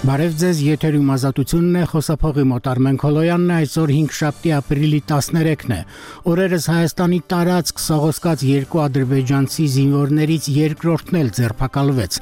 Բարև ձեզ, եթերում ազատությունն է, խոսափողի մոտ Արմեն Քոլոյանն է, այսօր 5 շաբթի ապրիլի 13-ն է։ Օրերս Հայաստանի տարածք սողոսկած երկու ադրբեջանցի զինվորներից երկրորդն էլ ձերբակալվեց։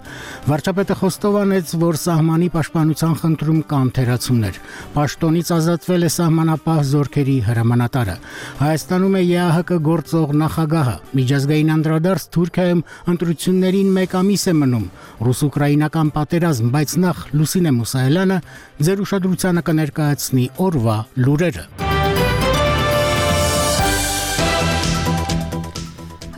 Վարչապետը խոստովանեց, որ սահմանի պաշտպանության խնդրում կան թերացումներ։ Պաշտոնից ազատվել է սահմանապահ զորքերի հրամանատարը։ Հայաստանում է ԵԱՀԿ գործող նախագահը։ Միջազգային անդրադարձ Թուրքիայում ընտրություններին 1 ամիս է մնում։ Ռուս-ուկրաինական պատերազմ, բայց նախ Լուսինե Մուսայելյանը ձեր ուշադրությանը կներկայացնի օրվա լուրերը։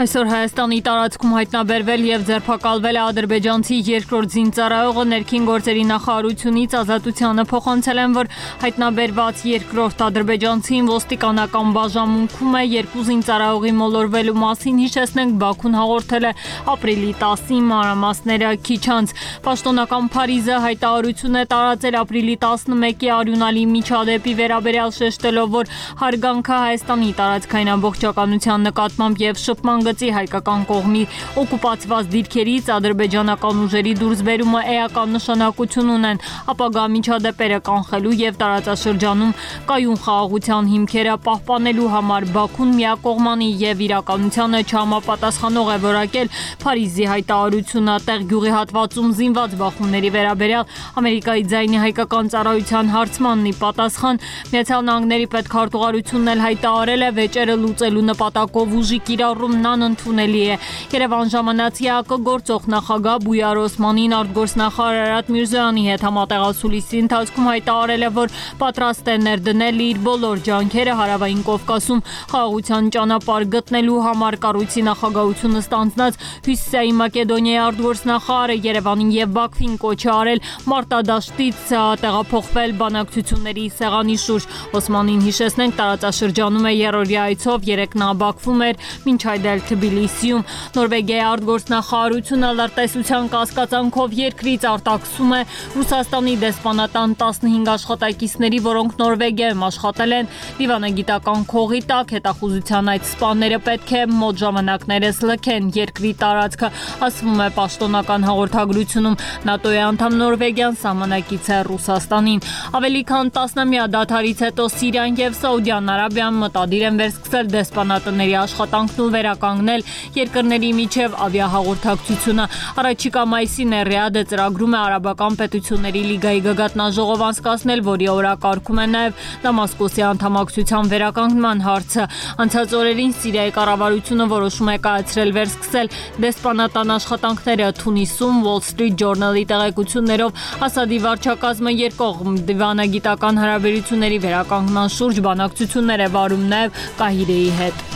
Այսօր Հայաստանի տարածքում հայտնաբերվել եւ ձերբակալվել է ադրբեջանցի երկրորդ զինծառայողը ներքին գործերի նախարարությունից ազատությանը փոխանցել են, որ հայտնաբերված երկրորդ ադրբեջանցին ոստիկանական բաժանմունքում է, երկու զինծառայողի մոլորվելու մասին հիշեցնենք Բաքուն հաղորդել է ապրիլի 10-ի մանրամասները քիչ անց։ Պաշտոնական Փարիզը հայտարարություն է տարածել ապրիլի 11-ի արյունալի միջադեպի վերաբերյալ շեշտելով, որ հարգանքը Հայաստանի տարածքային ամբողջականության նկատմամբ եւ շփման հայկական կողմի օկուպացված դիրքերից ադրբեջանական ուժերի դուրսբերումը էական նշանակություն ունեն, ապագա միջադեպերը կանխելու եւ տարածաշրջանում կայուն խաղաղության հիմքերը պահպանելու համար Բաքուն միակողմանի եւ իրականությանը չհամապատասխանող է որակել Փարիզի հայտարարությունը տեղ գյուղի հատվածում զինված բախումների վերաբերյալ Ամերիկայի ձայնի հայկական ծառայության հարցմանն ի պատասխան Միացյալ Նահանգների պետքարտուղարությունն էլ հայտարարել է վեճերը լուծելու նպատակով ուժի կիրառումն ընդունելի է։ Երևան ժամանած ԵԱՀԿ գործող նախագահ Բույար Օսմանին արտգործնախարար Արարատ Միրզոյանի հետ համատեղացուլիսի ընթացքում հայտարարել է, որ պատրաստ է ներդնել իր բոլոր ջանքերը Հարավային Կովկասում խաղաղության ճանապարհ գտնելու համար կառույցի նախագահությունը ստանձնած Հյուսիսային Մակեդոնիայի արտգործնախարարը Երևանին եւ Բաքվին կոչ է արել մարտադաշտից տեղափոխվել բանակցությունների սեղանի շուրջ։ Օսմանին հիշեցնենք տարածաշրջանում է երրորդյա այցով, երեկ նա Բաքվում էր, մինչ այդ էլ Թբիլիսիում։ Նորվեգիայի արտգործնախարարությունը լրտեսության կասկածանքով երկրից արտաքսում է Ռուսաստանի դեսպանատան 15 աշխատակիցների, որոնք Նորվեգիայում աշխատել են դիվանագիտական քողի տակ։ Հետախուզության այդ սպաները պետք է մոտ ժամանակներս լքեն երկրի տարածքը, ասվում է պաշտոնական հաղորդագրությունում։ ՆԱՏՕ-ի անդամ Նորվեգիան սահմանակից է Ռուսաստանին։ Ավելի քան 10-ամյա դադարից հետո Սիրիան եւ Սաուդյան Արաբիան մտադիր են վերսկսել դեսպանատների աշխատանքն ու վերականգնել երկրների միջև ավիահաղորդակցությունը։ Առաջիկա մայիսին Ռիադը ծրագրում է Արաբական պետությունների լիգայի գագաթնաժողով անցկացնել, որի օրակարգում է նաև Դամասկոսի անդամակցության վերականգնման հարցը։ Անցած օրերին Սիրիայի կառավարությունը որոշում է կայացրել վերսկսել դեսպանատան աշխատանքները Թունիսում։ Wall Street Journal-ի տեղեկություններով Ասադի վարչակազմը երկկողմ դիվանագիտական հարաբերությունների վերականգնման շուրջ բանակցություններ է վարում նաև Կահիրեի հետ։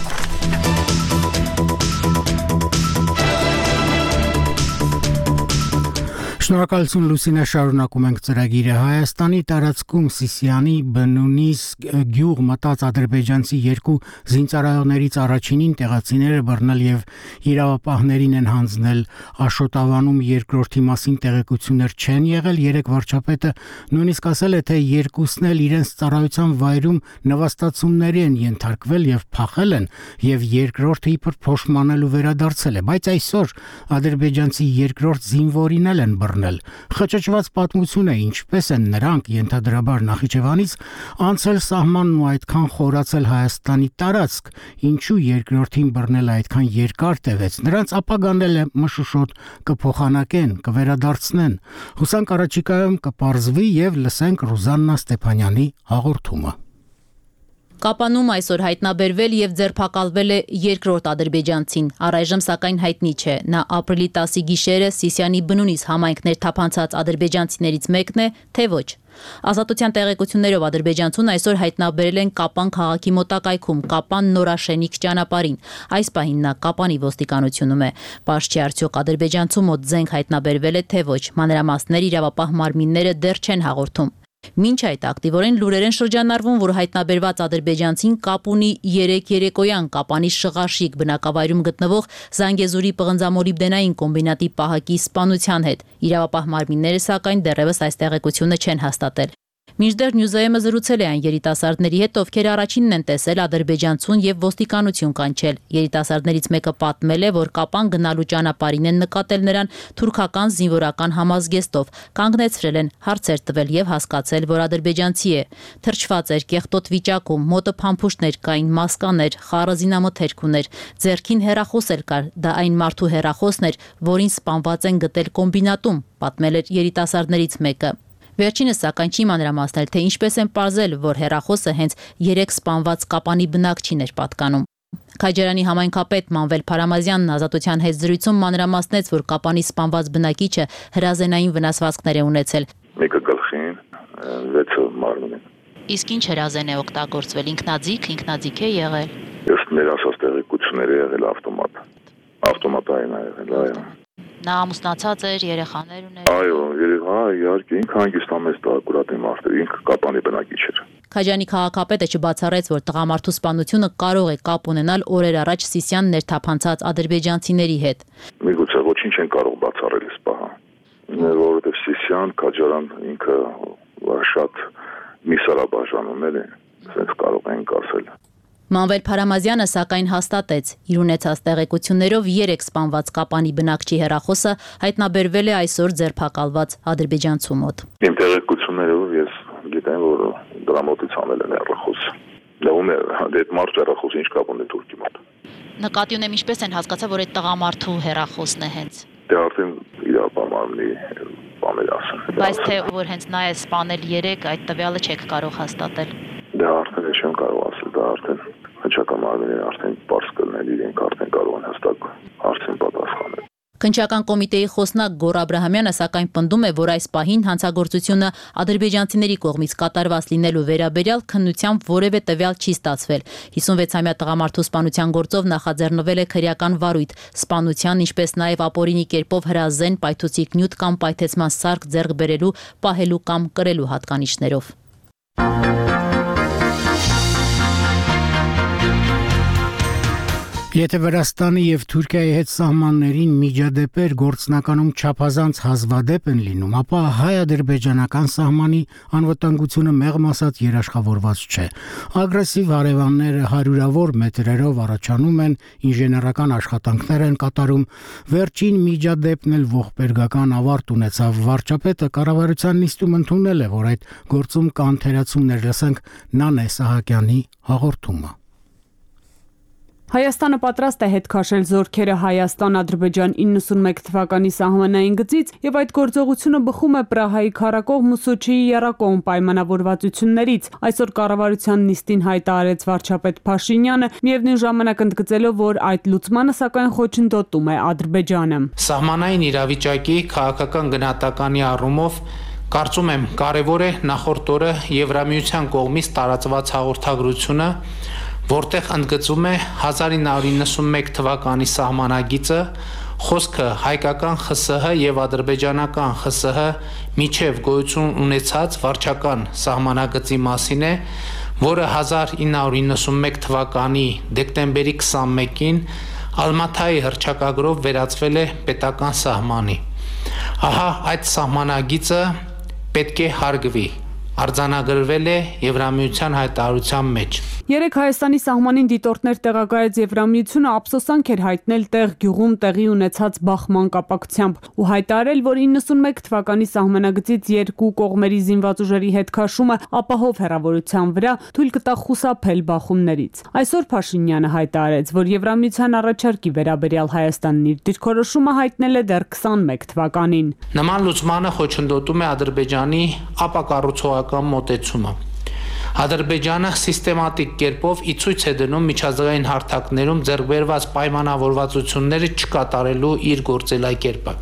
Շնորհակալություն Լուսինե, շարունակում ենք ծրագիրը։ Հայաստանի տարածքում Սիսիանի բնունի գյուղ մտած ադրբեջանցի երկու զինծառայողներից առաջինին տեղացիները բռնել եւ իրավապահներին են հանձնել։ Աշոտավանում երկրորդի մասին տեղեկություններ չեն եղել։ Երեք վարչապետը նույնիսկ ասել է, թե երկուսն էլ իրենց ծառայության վայրում նվաստացումների են ենթարկվել եւ փախել են, եւ երկրորդը իբր փոշմանելու վերադարձել է, բայց այսօր ադրբեջանցի երկրորդ զինվորին էլ են Խճճված պատմություն է, ինչպես են նրանք ենթադրաբար Նախիջևանից անցել սահմանն ու այդքան խորացել Հայաստանի տարածք, ինչու երկրորդին բռնելը այդքան երկար տևեց, նրանց ապագան էլ է մշուշոտ կփոխանակեն, կվերադարձնեն։ Հուսանք առաջիկայում կպարզվի եւ լսենք Ռուզաննա Ստեփանյանի հաղորդումը։ Կապանում այսօր հայտնաբերվել եւ ձերբակալվել է երկրորդ ադրբեջանցին։ Առայժմ սակայն հայտնի չէ։ Նա ապրիլի 10-ի գիշերը Սիսիանի բնունից համայնքներ թափանցած ադրբեջանցիներից մեկն է, թե ոչ։ Ազատության տեղեկություններով ադրբեջանցուն այսօր հայտնաբերել են Կապան քաղաքի մոտակայքում, Կապան Նորաշենիք ճանապարհին։ Այս պահին նա Կապանի ոստիկանությունում է։ Պարզ չի արդյոք ադրբեջանցու մոտ զենք հայտնաբերվել է, թե ոչ։ Մանրամասներ իրավապահ մարմինները դեռ չեն հաղորդում։ Մինչ այդ ակտիվորեն լուրեր են շրջանառվում, որ հայտնաբերված ադրբեջանցին կապ ունի 3 երեկոյան Կապանի Շղաշիկ բնակավայրում գտնվող Զանգեզուրի պղնձամոլիբդենային կոմբինատի պահակի սպանության հետ։ Իրավապահ մարմինները սակայն դեռևս այս տեղեկությունը չեն հաստատել։ Մինչդեռ Նյուզայեմը զրուցել է այն երիտասարդների հետ, ովքեր առաջինն են տեսել ադրբեջանցուն եւ ոստիկանություն կանչել։ Երիտասարդներից մեկը պատմել է, որ Կապան գնալու ճանապարհին են նկատել նրան թուրքական զինվորական համազգեստով, կանգնեցրել են, հարցեր տվել եւ հասկացել, որ ադրբեջանցի է։ Թրջված էր կեղտոտ վիճակում, մոտը փամփուշտներ կային, մասկաներ, խառը զինամթերք ուներ, ձեռքին հեռախոս էլ կար, դա այն մարդու հեռախոսն էր, որին սպանված են գտել կոմբինատում, պատմել էր երիտասարդներից մեկը։ Վերջինս սակայն չի մանրամասնել, թե ինչպես են պարզել, որ հեռախոսը հենց 3 սպանված Կապանի բնակչին էր պատկանում։ Քաջարյանի համայնքապետ Մանվել Փարամազյանն Ազատության հետ զրույցում մանրամասնեց, որ Կապանի սպանված բնակիչը հրազենային վնասվածքներ է ունեցել։ Մեկը գլխին, 6-ը մարմնին։ Իսկ ինչ հրազեն է օգտագործվել, ինքնաձիգ է եղել։ Ըստ մեր ասած տեղեկությունների եղել ավտոմատային է եղել, այո։ Նա ամուսնացած էր, երեխաներ ուներ։ Այո, երեխա, իհարկե, ինքը հանգստամեծ ակուրատի մարդ էր, ինքը Կապանի բնակիչ էր։ Քաջանի քաղաքապետը չբացառեց, որ տղամարդու սպանությունը կարող է կապ ունենալ օրեր առաջ Սիսիան ներթափանցած ադրբեջանցիների հետ։ Միգուցե ոչինչ են կարող բացառել այս պահը, որովհետև Սիսիան, Քաջարան ինքը շատ միսարաբաժանումներ են, ասենց կարող ենք ասել։ Մանվել Փարամազյանը սակայն հաստատեց, իր ունեցած տեղեկություններով 3 սպանված Կապանի բնակչի հեռախոսը հայտնաբերվել է այսօր ձերբակալված ադրբեջանցու մոտ։ Իմ տեղեկություններով ես գիտեմ, որ դրա մոտից անել են հեռախոս։ Դեռ այդ մարդ հեռախոսը ինչ կապ ունի Թուրքի մոտ։ Նկատի ունեմ, ինչպես են հասկացա, որ այդ տղամարդու հեռախոսն է հենց։ Դե արդեն իր ապամարմնի բաներ ասեն։ Բայց թե որ հենց նա է սպանել 3, այդ տվյալը չեք կարող հաստատել։ Դա արդեն չեմ կարող ասել, դա արդեն հնչակամարմինները արդեն պարզ կլներ, իրենք արդեն կարող են հստակ հարցին պատասխանել։ Քննչական կոմիտեի խոսնակ Գոռ Աբրահամյանը սակայն պնդում է, որ այս պահին հանցագործությունը ադրբեջանցիների կողմից կատարված լինելու վերաբերյալ քննությամբ որևէ տվյալ չի ստացվել։ 56-ամյա տղամարդու սպանության գործով նախաձեռնվել է քրեական վարույթ, սպանության, ինչպես նաև ապօրինի կերպով հրազեն, պայթուցիկ նյութ կամ պայթեցման սարք ձեռք բերելու, պահելու կամ կրելու հատկանիշներով։ Եթե Վրաստանի եւ Թուրքիայի հետ սահմաններին միջադեպեր գործնականում չափազանց հազվադեպ են լինում, ապա հայ-ադրբեջանական սահմանի անվտանգությունը մեղմ ասած երաշխավորված չէ։ Ագրեսիվ հարևանները հարյուրավոր մետրերով առաջանում են, ինժեներական աշխատանքներ են կատարում։ Վերջին միջադեպն էլ ողբերգական ավարտ ունեցավ։ Վարչապետը կառավարության նիստում ընդունել է, որ այդ գործում կան թերացումներ, լսենք Նանե Սահակյանի հաղորդումը։ Հայաստանը պատրաստ է հետ քաշել զորքերը Հայաստան-Ադրբեջան 91 թվականի սահմանային գծից եւ այդ գործողությունը բխում է Պրահայի քառակողմ ու Սոչիի եռակողմ պայմանավորվածություններից։ Այսօր կառավարության նիստին հայտարարեց վարչապետ Փաշինյանը, միևնույն ժամանակ ընդգծելով, որ այդ լուծմանը սակայն խոչընդոտում է Ադրբեջանը։ Սահմանային իրավիճակի քաղաքական գնահատականի առումով կարծում եմ կարևոր է նախորդ օրը Եվրամիության կողմից տարածված հաղորդագրությունը, որտեղ ընդգծում է 1991 թվականի սահմանագիծը, խոսքը հայկական ԽՍՀ եւ ադրբեջանական ԽՍՀ միջև գոյություն ունեցած վարչական սահմանագծի մասին է, որը 1991 թվականի դեկտեմբերի 21-ին Ալմաթայի հռչակագրով վերածվել է պետական սահմանի։ Ահա այդ սահմանագիծը պետք է հարգվի, արձանագրվել է Եվրամիության հայտարարության մեջ։ Երեք Հայաստանի սահմանին դիտորդներ տեղակայեց Եվրամիությունը ափսոսանք էր հայտնել տեղ գյուղում տեղի ունեցած բախման կապակցությամբ ու հայտարարել, որ 91 թվականի սահմանագծից երկու կողմերի զինված ուժերի հետ քաշումը ապահով հեռավորության վրա թույլ կտա խուսափել բախումներից։ Այսօր Փաշինյանը հայտարարեց, որ Եվրամիության առաջարկի վերաբերյալ Հայաստանն իր դիրքորոշումը հայտնել է դեռ 21 թվականին։ Նման լուծմանը խոչընդոտում է Ադրբեջանի ապակառուցողական մոտեցումը։ Ադրբեջանը սիստեմատիկ կերպով ի ցույց է դնում միջազգային հարթակներում ձեռք բերված պայմանավորվածությունները չկատարելու իր գործելակերպը։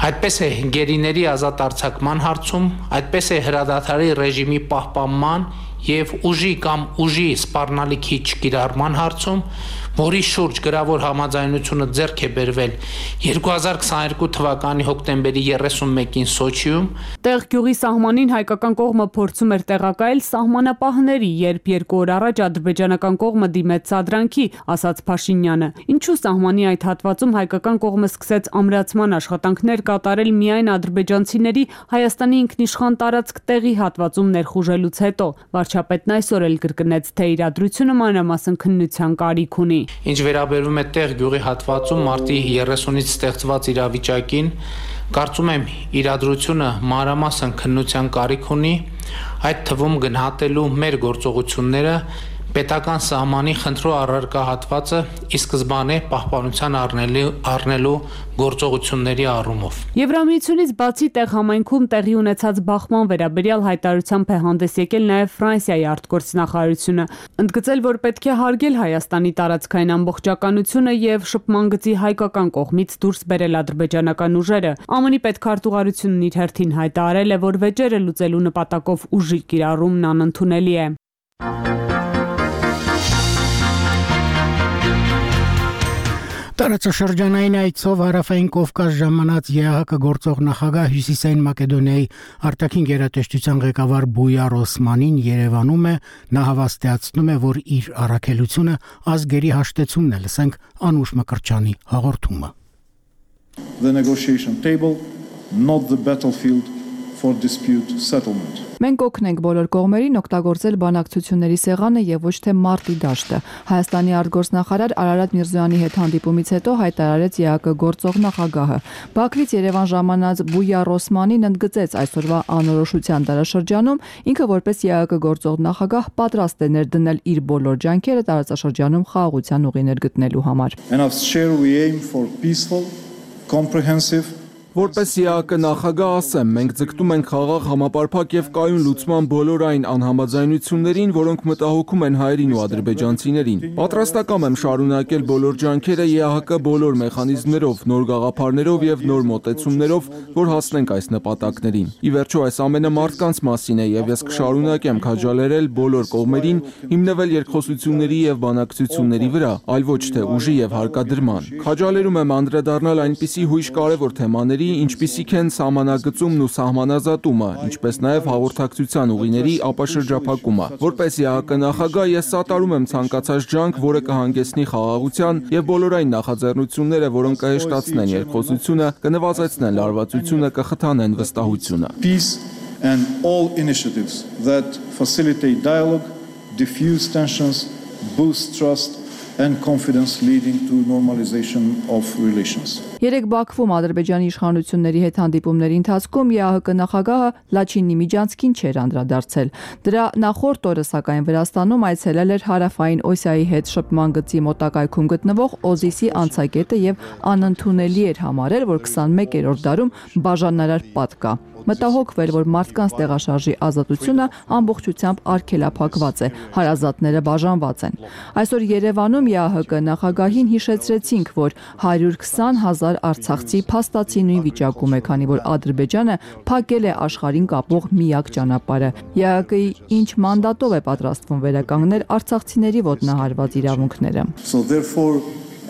Այդպես է գերիների ազատ արձակման հարցում, այդպես է հրադադարի ռեժիմի պահպանման եւ ուժի կամ ուժի սպառնալիքի չկիրառման հարցում, որի շուրջ գրավոր համաձայնությունը ձեռք է բերվել 2022 թվականի հոկտեմբերի 31-ին Սոչիում, Տեղ գյուղի սահմանին հայկական կողմը փորձում էր տեղակայել սահմանապահների, երբ 2 օր առաջ ադրբեջանական կողմը դիմեց սադրանքի, ասաց Փաշինյանը։ Ինչու սահմանի այդ հատվածում հայկական կողմը սկսեց ամրացման աշխատանքներ կատարել միայն ադրբեջանցիների Հայաստանի ինքնիշխան տարածք տեղի հատվածում ներխուժելուց հետո։ Վարչապետն այսօր էլ կրկնեց, թե իրադրությունը մանրամասն քննության կարիք ունի։ Ինչ վերաբերում է տեղ գյուղի հատվածում մարտի 30-ից ստեղծված իրավիճակին, կարծում եմ իրադրությունը մանրամասն քննության կարիք ունի, այդ թվում գնահատելու մեր գործողությունները պետական սահմանի խնդրու առարկա հատվածը ի սկզբանե պահպանության առնելու գործողությունների առումով։ Եվրամիությունից բացի տեղ համայնքում տեղի ունեցած բախման վերաբերյալ հայտարարությամբ է հանդես եկել նաև Ֆրանսիայի արտգործնախարարությունը, ընդգծել, որ պետք է հարգել Հայաստանի տարածքային ամբողջականությունը եւ շփման գծի հայկական կողմից դուրս բերել ադրբեջանական ուժերը։ ԱՄՆ-ի պետքարտուղարությունն իր հերթին հայտարարել է, որ վեճերը լուծելու նպատակով ուժի կիրառումն անընդունելի է։ Տարածաշրջանային այցով Հարավային Կովկաս ժամանած ԵԱՀԿ գործող նախագահ Հյուսիսային Մակեդոնիայի արտաքին գերատեսչության ղեկավար Բույար Օսմանին Երևանում է, նա հավաստիացնում է, որ իր առաքելությունը ազգերի հաշտեցումն է, լսենք Անուշ Մկրտչյանի հաղորդումը։ The negotiation table, not the battlefield for dispute settlement. Մենք օգնենք բոլոր կողմերին օգտագործել բանակցությունների սեղանը եւ ոչ թե մարտի դաշտը։ Հայաստանի արտգործնախարար Արարատ Միրզոյանի հետ հանդիպումից հետո հայտարարեց ԵԱՀԿ գործող նախագահը։ Բաքվից Երևան ժամանած Բույար Օսմանին ընդգծեց այսօրվա անորոշության դարաշրջանում ինքը որպես ԵԱՀԿ գործող նախագահ պատրաստ է ներդնել իր բոլոր ջանքերը տարածաշրջանում խաղաղության ուղիներ գտնելու համար։ And as chair we aim for peaceful, comprehensive Որպես ԵԱՀԿ նախագահ ասեմ, մենք ձգտում ենք խաղաղ, համապարփակ եւ կայուն լուծման բոլոր այն անհամաձայնություններին, որոնք մտահոգում են հայերին ու ադրբեջանցիներին։ Պատրաստակամ եմ շարունակել բոլոր ջանքերը ԵԱՀԿ բոլոր մեխանիզմներով, նոր գաղափարներով եւ նոր մոտեցումներով, որ հասնենք այս նպատակներին։ Ի վերջո այս ամենը մարդկանց մասին է եւ ես կշարունակեմ քաջալերել բոլոր կողմերին հիմնվել երկխոսությունների եւ բանակցությունների վրա, այլ ոչ թե ուժի եւ հարկադրման։ Քաջալերում եմ անդրադառնալ այնպիսի հույժ կարևոր թեմաների, ինչպիսիք են սահմանագծումն ու սահմանազատումը, ինչպես նաև հաղորդակցության ուղիների ապաշրջափակումը։ Որպես ԵԱՀԿ նախագահ ես սատարում եմ ցանկացած ջանք, որը կհանգեցնի խաղաղության եւ բոլոր այն նախաձեռնությունները, որոնք կհեշտացնեն երկխոսությունը, կնվազեցնեն լարվածությունը, կխթանեն վստահությունը։ Peace and all initiatives that facilitate dialogue, diffuse tensions, boost trust and confidence leading to normalization of relations. Երեք Բաքվում Ադրբեջանի իշխանությունների հետ հանդիպումների ընթացքում ԵԱՀԿ նախագահը Լաչինի միջանցքին չէր անդրադարձել։ Դրա նախորդ օրը սակայն Վրաստանում այցելել էր Հարավային Օսիայի հետ շփման գծի մոտակայքում գտնվող Օզիսի անցակետը եւ անընդունելի էր համարել, որ 21-րդ դարում բաժանարար պատ կա։ Մտահոգվել, որ մարդկանց տեղաշարժի ազատությունը ամբողջությամբ արգելափակված է, հարազատները բաժանված են։ Այսօր Երևանում ԵԱՀԿ նախագահին հիշեցրեցինք, որ 120,000 արցախցի փաստացի նույն վիճակում է, քանի որ Ադրբեջանը փակել է աշխարհին կապող միակ ճանապարհը։ ԵԱՀԿ-ի ինչ մանդատով է պատրաստվում վերականգնել արցախցիների ոտնահարված իրավունքները։ So therefore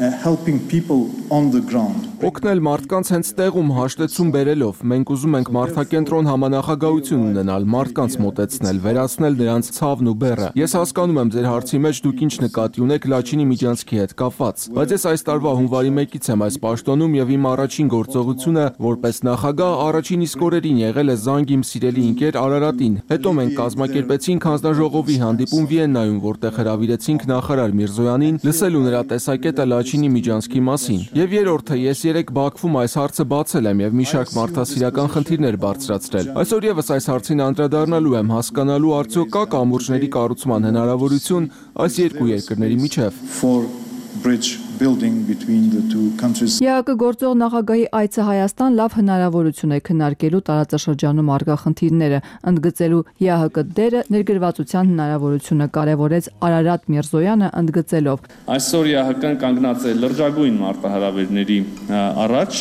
helping people on the ground. Օգնել մարդկանց հենց տեղում հաշտեցում բերելով, մենք ուզում ենք մարդակենտրոն համանախագահություն ունենալ, մարդկանց մոտեցնել, վերացնել նրանց ցավն ու բեռը։ Ես հասկանում եմ ձեր հարցի մեջ դուք ինչ նկատի ունեք Լաչինի միջանցքի հետ կապված, բայց ես այս տարվա հունվարի 1-ից եմ այս պաշտոնում եւ իմ առաջին գործողությունը որպես նախագահ առաջին իսկ օրերին եղել է զանգ իմ սիրելի ընկեր Արարատին։ Հետո մենք կազմակերպեցինք հանձնաժողովի հանդիպում Վիեննայում, որտեղ հրավիրեցինք նախարար Միրզոյանին լսելու նրա տեսակետը Լաչինի միջանցքի մասին։ Եվ երրորդը ես երեք Բաքվում այս հարցը բացել եմ եւ մի շարք մարդասիրական խնդիրներ բարձրացրել։ Այսօր եւս այս հարցին անդրադառնալու եմ, հասկանալու արդյոք կա կամուրջների կառուցման հնարավորություն այս երկու երկրների միջև։ Bridge building between the two countries. ԵԱՀԿ գործող նախագահի այցը Հայաստան լավ հնարավորություն է քննարկելու տարածաշրջանում առկա խնդիրները, ընդգծելու ԵԱՀԿ դերը ներգրավվածության հնարավորությունը կարևորեց Արարատ Միրզոյանը ընդգծելով. Այսօր ԵԱՀԿ-ն կանգնած է լրջագույն մարտահրավերների առաջ։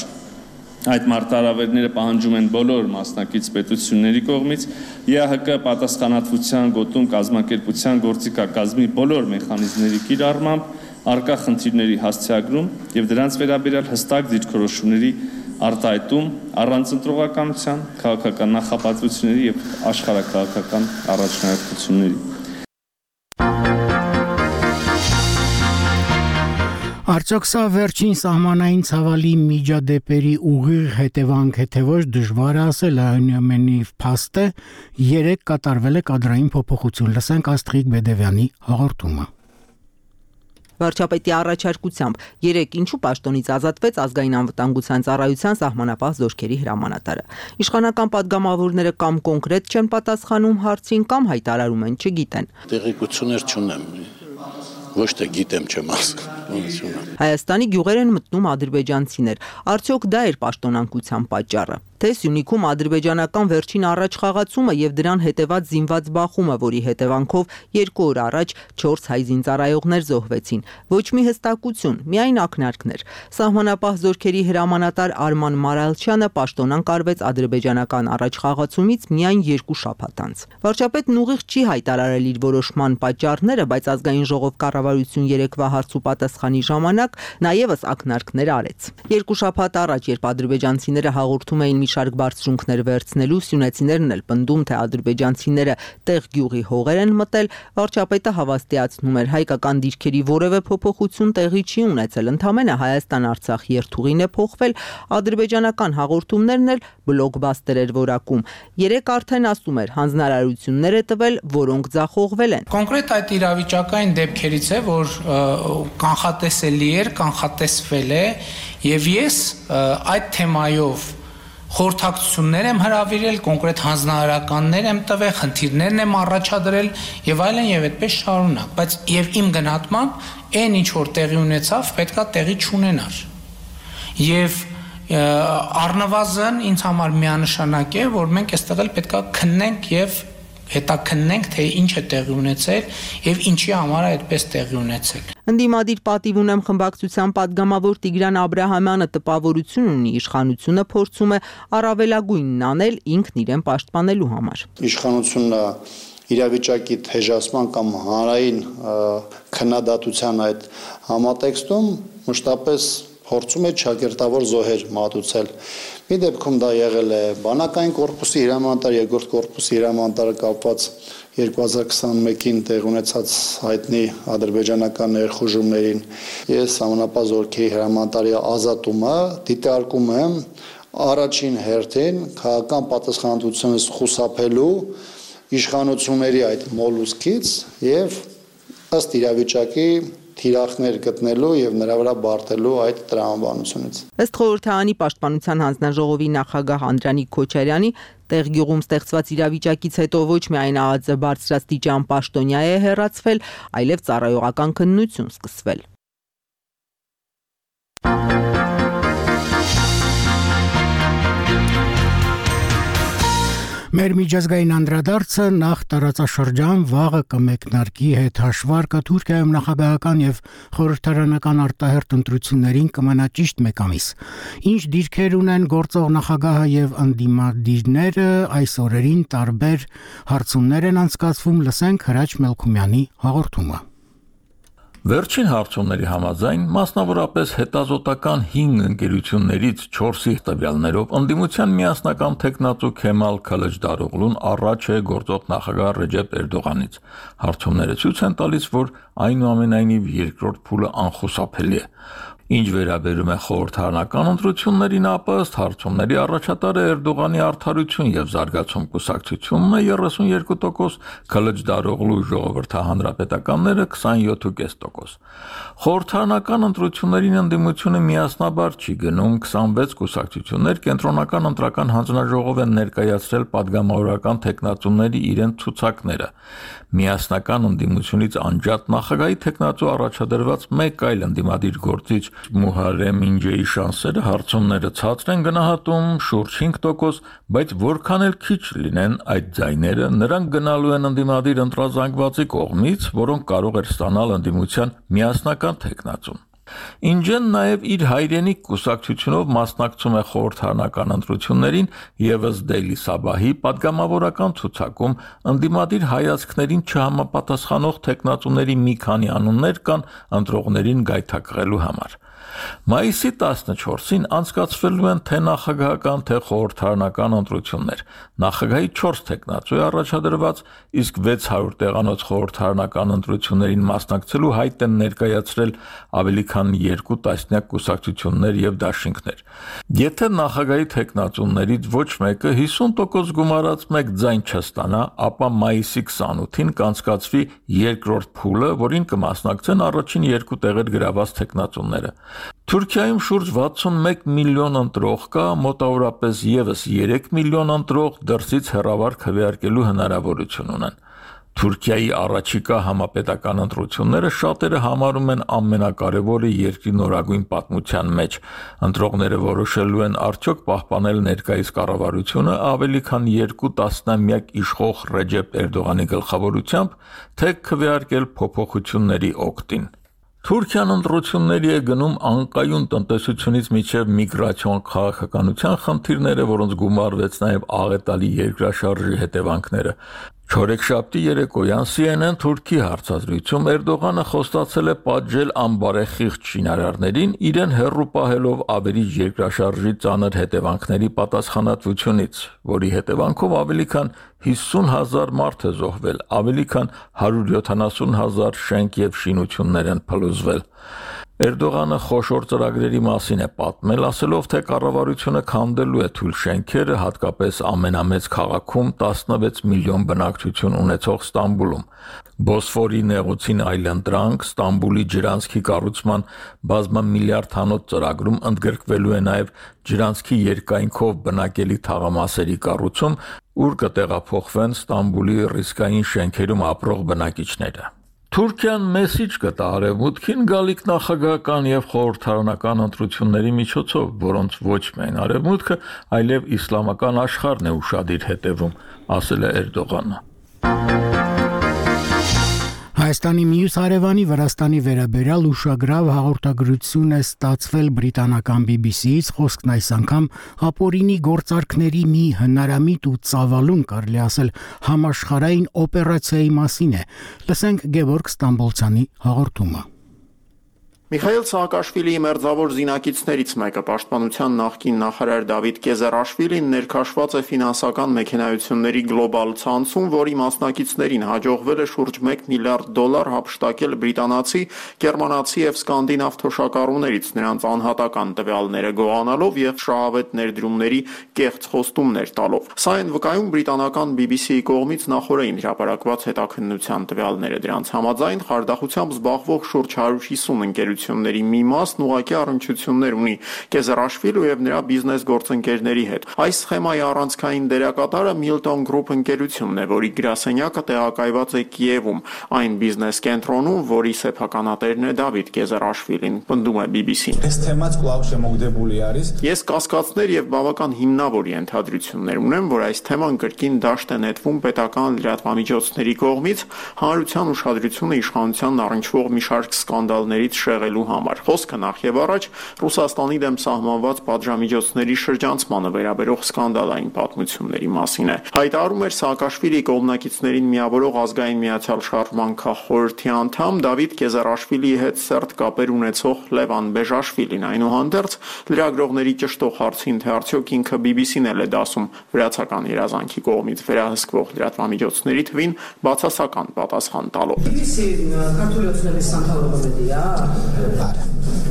Այդ մարտահրավերները պահանջում են բոլոր մասնակից պետությունների կողմից ԵԱՀԿ պատասխանատվության գոտում կազմակերպության գործիքակազմի բոլոր մեխանիզմների կիրառմամբ արկա խնդիրների հասցեագրում եւ դրանց վերաբերյալ հստակ դիրքորոշումների արտահայտում առանց ընտրողականության, քաղաքական նախապատվությունների եւ աշխարհակաղակական առաջնահերթությունների։ Արդյոք սա վերջին սահմանային ցավալի միջադեպերի ուղիղ հետևանք է, թե ոչ դժվար է ասել, այնուամենայնիվ փաստ է, 3 կատարվել է կադրային փոփոխություն։ Լսենք Աստղիկ Բեդևյանի հաղորդումը։ Վարչապետի առաջարկությամբ 3 ինչու պաշտոնից ազատվեց ազգային անվտանգության ծառայության սահմանապահ զորքերի հրամանատարը։ Իշխանական падգամավորները կամ կոնկրետ չեն պատասխանում հարցին, կամ հայտարարում են չգիտեն։ Տեղեկություններ չունեմ, ոչ թե գիտեմ չեմ ասում։ Հայաստանի գյուղեր են մտնում ադրբեջանցիներ։ Արդյոք դա էր պաշտոնանկության պատճառը։ Թե Սյունիքում ադրբեջանական վերջին առաջխաղացումը եւ դրան հետեւած զինված բախումը, որի հետևանքով 2 օր առաջ 4 հայ զինծառայողներ զոհվեցին։ Ոչ մի հստակություն, միայն ակնարկներ։ Սահմանապահ զորքերի հրամանատար Արման Մարալչյանը պաշտոնանկ արվեց ադրբեջանական առաջխաղացումից միայն 2 շաբաթ անց։ Վարչապետն ուղիղ չի հայտարարել իր որոշման պատճառները, բայց ազգային ժողով կառավարություն երեկվա հարցու պատասխանի ժամանակ նաեւս ակնարկներ արեց։ 2 շաբաթ առաջ, երբ ադրբեջանցիները հաղորդում էին շարք բարձրունքներ վերցնելու, սյունեցիներն էլ պնդում, թե ադրբեջանցիները տեղ գյուղի հողեր են մտել, վարչապետը հավաստիացնում էր, հայկական դիրքերի որևէ փոփոխություն տեղի չի ունեցել, ընդամենը Հայաստան-Արցախ երթուղին է փոխվել, ադրբեջանական հաղորդումներն էլ բլոկբաստեր էր որակում։ 3 արդեն ասում էր, հանձնարարություններ է տվել, որոնք ձախողվել են։ Կոնկրետ այդ իրավիճակային դեպքերից է, որ կանխատեսելի էր, կանխատեսվել է, եւ ես այդ թեմայով խորհրդակցություններ եմ հրավիրել, կոնկրետ հանձնարարականներ եմ տվել, խնդիրներն եմ առաջադրել եւ այլն եւ այդպես շարունակ, բայց եւ իմ գնահատմամբ այն ինչ որ տեղի ունեցավ, պետքա տեղի չունենար։ Եվ առնվազն ինձ համար միանշանակ է, որ մենք այստեղ էլ պետքա քննենք եւ հետաքննենք, թե ինչ է տեղի ունեցել եւ ինչի համար է այդպես տեղի ունեցել։ Ընդդիմադիր պատիվ ունեմ խմբակցության падգամավոր Տիգրան Աբրահամյանը տպավորություն ունի, իշխանությունը փորձում է առավելագույնն անել ինքն իրեն պաշտպանելու համար։ Իշխանությունը իրավիճակի թեժացման կամ հանրային քննադատության այդ համատեքստում մշտապես փորձում է ճակերտավոր զոհեր մատուցել։ Մի դեպքում դա եղել է բանակային կորպուսի հրամանատար, երկրորդ կորպուսի հրամանատարը կապված 2021-ին տեղ ունեցած հայտնի ադրբեջանական ներխուժումներին։ Ես համանապահ զորքերի հրամանատարի ազատումը դիտարկում եմ առաջին հերթին քաղաքական պատասխանատվությունից խուսափելու իշխանությունների այդ մոլուսկից եւ ըստ իրավիճակի թիրախներ գտնելու եւ նրա վրա բարտելու այդ տրամաբանությունից։ Ըստ խորհրդարանի պաշտպանության հանձնաժողովի նախագահ Անդրանիկ Քոչարյանի, տեղ գյուղում ստեղծված իրավիճակից հետո ոչ միայն ԱԱԾ բարձրաստիճան պաշտոնյա է հեռացվել, այլև ծառայողական քննություն սկսվել։ Մեր միջազգային անդրադարձը նախ տարածաշրջան վաղը կմեկնարկի հետ հաշվարկը Թուրքիայում նախագահական եւ խորհրդարանական արտահերթ ընտրություններին կմնա ճիշտ 1 ամիս։ Ինչ դիրքեր ունեն գործող նախագահը եւ ընդդիմադիրները այս օրերին տարբեր հարցումներ են անցկացվում, լսենք Հրաչ Մելքումյանի հաղորդումը։ Վերջին հարցումների համաձայն, մասնավորապես հետազոտական 5 ընկերություններից 4-ի տվյալներով ընդդիմության միասնական տեխնացու Քեմալ Քալաջդարօղլուն առաջ է գործող նախագահ Ռեջեփ Էրդողանից։ Հարցումները ցույց են տալիս, որ այնուամենայնիվ երկրորդ փուլը անխուսափելի է։ Ինչ վերաբերում է խորհրդարանական ընտրություններին, ապա ըստ հարցումների առաջատարը Էրդողանի արդարություն եւ զարգացում կուսակցությունն է 32%, Քալաջդարօղլու ժողովրդահանրապետականները 27.5%։ Խորհրդարանական ընտրություններին ընդդիմությունը միասնաբար չի գնում, 26 կուսակցություններ կենտրոնական ընտրական հանձնաժողով են ներկայացրել падգամավորական տեխնացուների իրենց ցուցակները։ Միասնական ընդդիմությունից անջատ նախագահի տեխնացու առաջադրված մեկ այլ ընդդիմադիր գործիչ Մուհարեմ Ինջեի շանսերը հարցումները ցածր են գնահատում շուրջ 5%, բայց որքան էլ քիչ լինեն այդ ձայները, նրանք գնալու են ընդդիմադիր ընտրազանգվածի կողմից, որոնք կարող էր ստանալ ընդդիմության միասնական տեխնացուն։ Ինջեն նաև իր հայրենիք կուսակցությունով մասնակցում է խորհրդարանական ընտրություններին, ևս Դեյլի Սաբահի պատգամավորական ցուցակում ընդդիմադիր հայացքներին չհամապատասխանող տեխնատուների մի քանի անուններ կան ընտրողներին գայթակղելու համար։ Մայիսի 14-ին անցկացվելու են թե նախագահական, թե խորհրդարանական ընտրություններ։ Նախագահի 4 տեխնատու է առաջադրված, իսկ 600 տեղանոց խորհրդարանական ընտրություններին մասնակցելու հայտ են ներկայացրել ավելի քան 2 տասնյակ կուսակցություններ եւ դաշինքներ։ Եթե նախագահի տեխնատուներից ոչ մեկը 50% գումարած 1 ձայն չստանա, ապա մայիսի 28-ին կանցկացվի երկրորդ փուլը, որին կմասնակցեն առաջին 2 տեղեր գրաված տեխնատուները։ Թուրքիայում շուրջ 61 միլիոն ընտրող կա, մոտավորապես եւս 3 միլիոն ընտրող դրսից հեռավար քվեարկելու հնարավորություն ունեն։ Թուրքիայի առաջիկա համապետական ընտրությունները շատերը համարում են ամենակարևորը երկրի նորագույն պատմության մեջ։ Ընտրողները որոշելու են արդյոք պահպանել ներկայիս կառավարությունը ավելի քան 2 տասնամյակ իշխող Ռեջեփ Էրդողանի գլխավորությամբ, թե քվեարկել փոփոխությունների օգտին։ Թուրքիան ընտրությունների է գնում անկայուն տնտեսությունից մինչև միգրացիոն քաղաքականության խնդիրները, որոնց գումարվեց նաև աղետալի երկրաշարժի հետևանքները։ Չորեքշաբթի երեկոյան CNN Թուրքի հարցազրույցում Էրդողանը խոստացել է պատժել անբարեխիղճ շինարարներին, իրեն հեռու պահելով ավերիչ երկրաշարժի ծանր հետևանքների պատասխանատվությունից, որի հետևանքով ավելի քան 50,000 մարդ է զոհվել, ավելի քան 170,000 շենք եւ շինություններ են փլուզվել։ Էրդողանը խոշոր ծրագրերի մասին է պատմել, ասելով, թե կառավարությունը քանդելու է թույլ շենքերը, հատկապես ամենամեծ քաղաքում 16 միլիոն բնակչություն ունեցող Ստամբուլում։ Բոսֆորի նեղուցին այլընտրանք, Ստամբուլի ջրանցքի կառուցման բազմամիլիարդանոց ծրագրում ընդգրկվելու է նաև ջրանցքի երկայնքով բնակելի թաղամասերի կառուցում, ուր կտեղափոխվեն Ստամբուլի ռիսկային շենքերում ապրող բնակիչները։ Թուրքիան մեսիջ կտա արևմուտքին գալիք նախագահական եւ խորհրդարանական ընտրությունների միջոցով, որոնց ոչ միայն արևմուտքը, այլև իսլամական աշխարհն է ուշադիր հետևում, ասել է Էրդողանը։ Հայաստանի մյուս հարևանի Վրաստանի վերաբերյալ ուշագրավ հաղորդագրություն է ստացվել բրիտանական BBC-ից, խոսքն այս անգամ ապօրինի գործարքների մի հնարամիտ ու ծավալուն, կարելի ասել, համաշխարհային օպերացիայի մասին է։ Լսենք Գևորգ Ստամբոլցյանի հաղորդումը։ Միխայել Սահակաշվիլիի մերձավոր զինակիցներից մեկը, պաշտպանության նախկին նախարար Դավիթ Կեզարաշվիլին ներքաշված է ֆինանսական մեքենայությունների գլոբալ ցանցում, որի մասնակիցներին հաջողվել է շուրջ $1 միլիարդ հափշտակել բրիտանացի, գերմանացի եւ սկանդինավ թոշակառուներից, նրանց անհատական տվյալները գողանալով եւ շահավետ ներդրումների կեղծ խոստումներ տալով։ Սա այն վկայում բրիտանական BBC-ի կողմից նախորդին հրապարակված հետաքննության տվյալները։ Դրանց համաձայն խարդախությամբ զբաղվող շուրջ 150 ընկերությունների մի մասն ուղղակի առնչություններ ունի Կեզարաշվիլու եւ նրա բիզնես գործընկերների հետ։ Այս սխեմայի առանցքային դերակատարը Milton Group ընկերությունն է, որի գրասենյակը տեղակայված է Կիևում, այն բիզնես կենտրոնում, որի սեփականատերն է Դավիթ Կեզարաշվիլին, պնդում է BBC-ն։ Ես կասկածներ եւ բավական հիմնավոր ենթադրություններ ունեմ, որ այս թեման կրկին դաշտ է նետվում պետական լրատվամիջոցների կողմից հանրության ուշադրությունը իշխանության առնչվող մի շարք սկանդալներից շեղելու համար։ Խոսքը նախ եւ առաջ Ռուսաստանի դեմ սահմանված պատժամիջոցների շրջանցմանը վերաբերող սկանդալային պատմությունների մասին է։ Հայտարարում էր Սաակաշվիլիի կողմնակիցներին միավորող ազգային միացյալ շարժման քաղխորհրդի անդամ Դավիթ Կեզարաշվիլիի հետ սերտ կապեր ունեցող Լևան Բեժաշվիլին, այնուհանդերձ լրագրողների ճշտող հարցին, թե արդյոք ինքը BBC-ն էլ է դասում վրացական երազանքի կողմից վերահսկվող լրատվամիջոցների թվին, բացասական պատասխան տալով։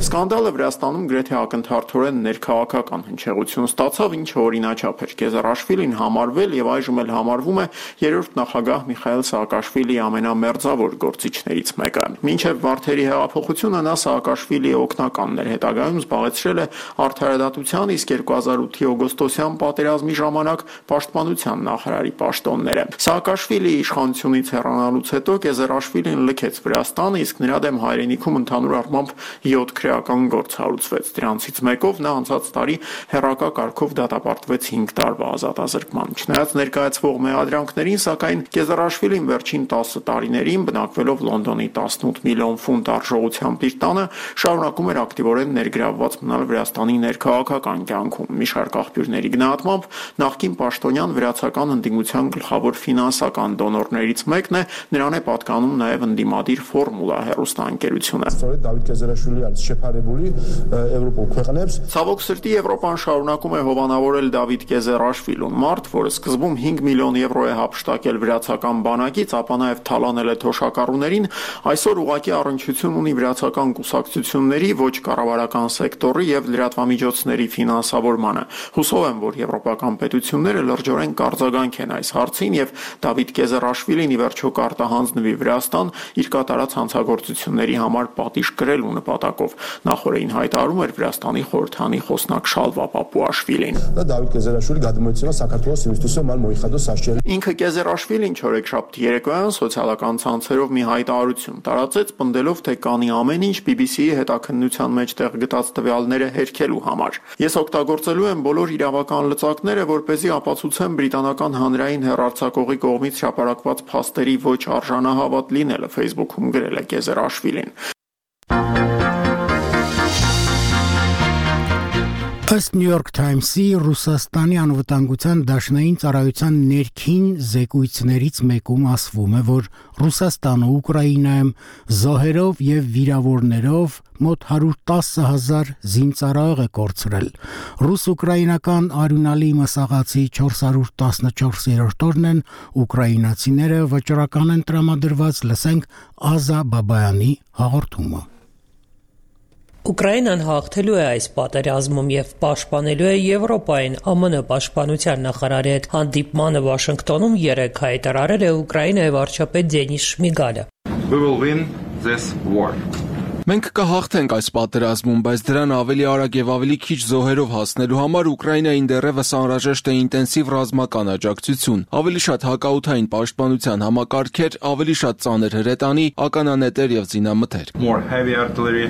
Սկանդալը Վրաստանում գրեթե ակնթարթորեն ներքաղաքական հնչեղություն ստացավ, ինչը օրինաչափ էր։ Կեզարաշվիլին համարվել եւ այժմ էլ համարվում է երրորդ նախագահ Միխայել Սաակաշվիլիի ամենամերձավոր գործիչներից մեկը։ Մինչև Վարդերի հեղափոխությունը նա Սաակաշվիլիի օգնականն էր, հետագայում զբաղեցրել է արդարադատության, իսկ 2008-ի օգոստոսյան պատերազմի ժամանակ պաշտպանության նախարարի պաշտոնները։ Սաակաշվիլիի իշխանությունից հեռանալուց հետո Կեզարաշվիլին լքեց Վրաստանը, իսկ նրա դեմ հայրենիքում ընդհանուր առմամբ 7 քրեական գործ հարուցվեց։ Դրանցից մեկով նա անցած տարի հեռակա կարգով դատապարտվեց 5 տարվա ազատազրկման։ Չնայած ներկայացվող մեղադրանքներին, սակայն Կեզարաշվիլին վերջին 10 տարիներին, բնակվելով Լոնդոնի 18 միլիոն ֆունտ արժողությամբ իր տանը, շարունակում էր ակտիվորեն ներգրավված մնալ Վրաստանի ներքաղաքական կյանքում։ Մի շարք աղբյուրների գնահատմամբ նախկին պաշտոնյան վրացական ընդդիմության գլխավոր ֆինանսական դոնորներից մեկն է, նրան է պատկանում նաև ընդդիմադիր Ֆորմուլա հեռուստաընկերությունը։ Ցավոք սրտի Եվրոպան շարունակում է հովանավորել Դավիթ Կեզարաշվիլուն, մարդ, որը սկզբում 5 միլիոն եվրո է հափշտակել վրացական բանակից, ապա նաև թալանել է թոշակառուներին, այսօր ուղղակի առնչություն ունի վրացական կուսակցությունների, ոչ կառավարական սեկտորի եւ լրատվամիջոցների ֆինանսավորմանը։ Հուսով եմ, որ եվրոպական պետությունները լրջորեն կարձագանք են այս հարցին եւ Դավիթ Կեզարաշվիլին ի վերջո կարտահանձնվի Վրաստան իր կատարած հանցագործությունների համար պատիժ կրելու նպատակով։ Նախորդին հայտարարում էր Վրաստանի խորհրդանի խոսնակ Շալվա Պապուաշվիլին։ Ինքը Կեզարաշվիլին չորեքշաբթի երեկոյան սոցիալական ցանցերով մի հայտարարություն տարածեց, պնդելով, թե կանի ամեն ինչ BBC-ի հետաքննության մեջ տեղ գտած տվյալները հերքելու համար։ Ես օգտագործելու եմ բոլոր իրավական լծակները, որպեսզի ապացուցեմ բրիտանական հանրային հեռարձակողի կողմից հրապարակված փաստերի ոչ արժանահավատ լինելը, Facebook-ում գրել է Կեզարաշվիլին։ Ըստ New York Times-ի Ռուսաստանի անվտանգության դաշնային ծառայության ներքին զեկույցներից մեկում ասվում է, որ Ռուսաստանը Ուկրաինայում զոհերով եւ վիրավորներով մոտ 110,000 զինծառայող է կորցրել։ Ռուս-ուկրաինական արյունալի մսաղացի 414-րդ օրն են ուկրաինացիները վճռական են տրամադրված, լսենք Ազա Բաբայանի հաղորդումը։ Ուկրաինան հաղթելու է այս պատերազմում եւ պաշտպանելու է Եվրոպային, ԱՄՆ պաշտպանության նախարարի հետ հանդիպմանը Վաշինգտոնում 3 հայտարարել է Ուկրաինայի վարչապետ Դենիս Շմիգալը։ Մենք կհաղթենք այս պատերազմում, բայց դրան ավելի արագ եւ ավելի քիչ զոհերով հասնելու համար Ուկրաինային դեռևս անհրաժեշտ է ինտենսիվ ռազմական աջակցություն, ավելի շատ հակաօդային պաշտպանության համակարգեր, ավելի շատ ծանր հրետանի, ականանետեր եւ զինամթեր։ More heavy artillery,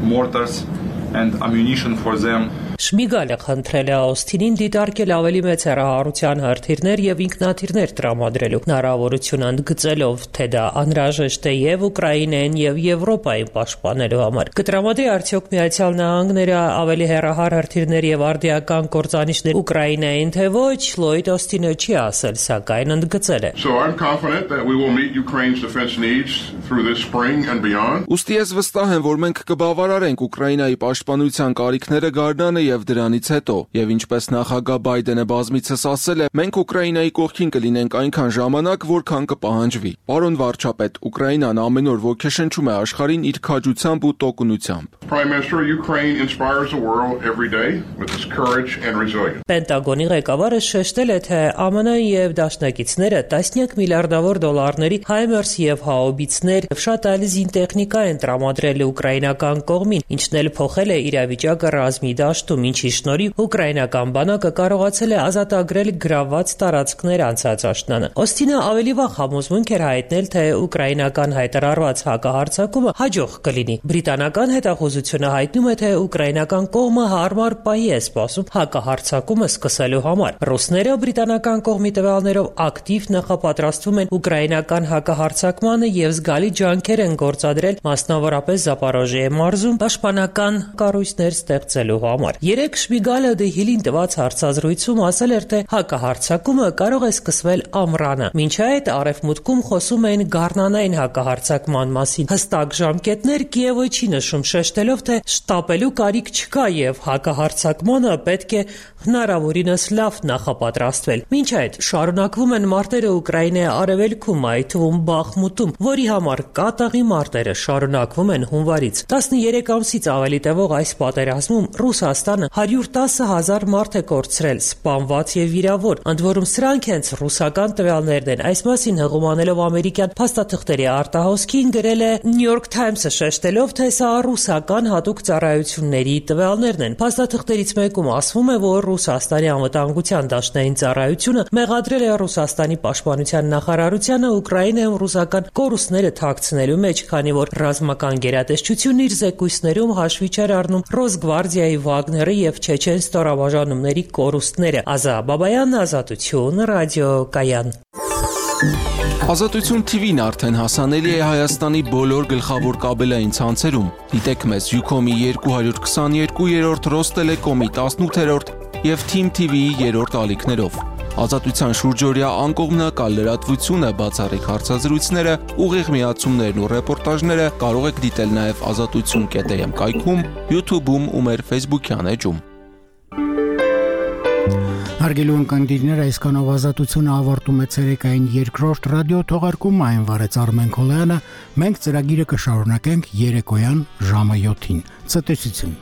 mortars and ammunition for them. Շմիգալը խնդրել է Օսթինին դիտարկել ավելի մեծ հեռահարության հրթիռներ եւ ինքնաթիռներ տրամադրելու հնարավորություն ընդգծելով, թե դա անհրաժեշտ է եւ Ուկրաինային եւ Եվրոպային պաշտպանելու համար։ Կտրամադրի արդյոք Միացյալ Նահանգները ավելի հեռահար հրթիռներ եւ արդիական կործանիչներ Ուկրաինային, թե ոչ, Լոյդ Օսթինը չի ասել, սակայն ընդգծել է։ So I'm confident that we will meet Ukraine's defense needs through this spring and beyond. Ուստի ես վստահ եմ, որ մենք կբավարարենք Ուկրաինայի պաշտպանության կարիքները գարնանը եւ դրանից հետո, եւ ինչպես նախագահ Բայդենը բազմիցս ասել է, մենք Ուկրաինայի կողքին կլինենք այնքան ժամանակ, որքան կպահանջվի։ Պարոն վարչապետ, Ուկրաինան ամեն օր ոգեշնչում է աշխարհին իր քաջությամբ ու տոկունությամբ։ Prime Minister, Ukraine inspires the world every day with its courage and resilience. Պենտագոնի ղեկավարը շեշտել է, թե ԱՄՆ եւ դաշնակիցները տասնյակ միլիարդավոր դոլարների HIMARS եւ հաուբիցներ եւ շատ այլ զինտեխնիկա են տրամադրել ուկրաինական կողմին, ինչն էլ փոխել է իրավիճակը ռազմի դաշտում, ինչի շնորհիվ ուկրաինական բանակը կարողացել է ազատագրել գրավված տարածքներ անցած աշնանը։ Օստինը ավելի վաղ համոզմունք էր հայտնել, թե ուկրաինական հայտարարված հակահարձակումը հաջող կլինի։ Բրիտանական հետախուզությունը հայտնում է, թե ուկրաինական կողմը հարմար պահի է սպասում հակահարձակումը սկսելու համար։ Ռուսները բրիտանական կողմի տվյալներով ակտիվ նախապատրաստվում են ուկրաինական հակահարձակմանը եւ զգալի ջանքեր են գործադրել, մասնավորապես Զապորոժիե մարզում պաշտպանական կառույցներ ստեղծելու համար։ Երեք Շմիգալը Դեհիլին տված հարցազրույցում ասել էր, թե հակահարձակումը կարող է սկսվել ամռանը։ Մինչ այդ արևմուտքում խոսում են գարնանային հակահարձակման մասին։ Հստակ ժամկետներ Կիևը չի նշում, շեշտելով, թե շտապելու կարիք չկա եւ հակահարձակմանը պետք է հնարավորինս լավ նախապատրաստվել։ Մինչ այդ շարունակվում են մարտերը Ուկրաինայի արևելքում, այդ թվում Բախմուտում, որի համար կատաղի մարտերը շարունակվում են հունվարից։ 13 ամսից ավելի տևող այս պատերազմում Ռուսաստանը Ռուսաստանը 110,000 մարդ է կորցրել, սպանված եւ վիրավոր։ Ընդ որում սրանք հենց ռուսական տվյալներն են։ Այս մասին հղում անելով ամերիկյան փաստաթղթերի արտահոսքին գրել է New York Times-ը, շեշտելով, թե սա ռուսական հատուկ ծառայությունների տվյալներն են։ Փաստաթղթերից մեկում ասվում է, որ Ռուսաստանի անվտանգության դաշնային ծառայությունը մեղադրել է Ռուսաստանի պաշտպանության նախարարությանը Ուկրաինայում ռուսական կորուստները թաքցնելու մեջ, քանի որ ռազմական գերատեսչությունն իր զեկույցներում հաշվի չէր առնում Ռոսգվարդիայի, Վագների եւ չեչեն ստորաբաժանումների կորուստները։ Ազա Բաբայան, Ազատություն, ռադիոկայան։ Ազատություն TV-ն արդեն հասանելի է Հայաստանի բոլոր գլխավոր կաբելային ցանցերում։ Դիտեք մեզ Ucom-ի 222-րդ, Ռոստելեկոմի 18-րդ եւ Team TV-ի 3-րդ ալիքներով։ Ազատության շուրջօրյա անկողմնակալ լրատվությունը, բացառիկ հարցազրույցները, ուղիղ միացումներն ու ռեպորտաժները կարող եք դիտել նաև azatutsun.am կայքում, YouTube-ում ու մեր Facebook-յան էջում։ Հարգելի ունկնդիրներ, այսքանով Ազատությունը ավարտում է ցերեկային երկրորդ ռադիո թողարկումը, այն վարեց Արմեն Քոլյանը։ Մենք ծրագիրը կշարունակենք երեկոյան ժամը 7-ին։ Ցտեսություն։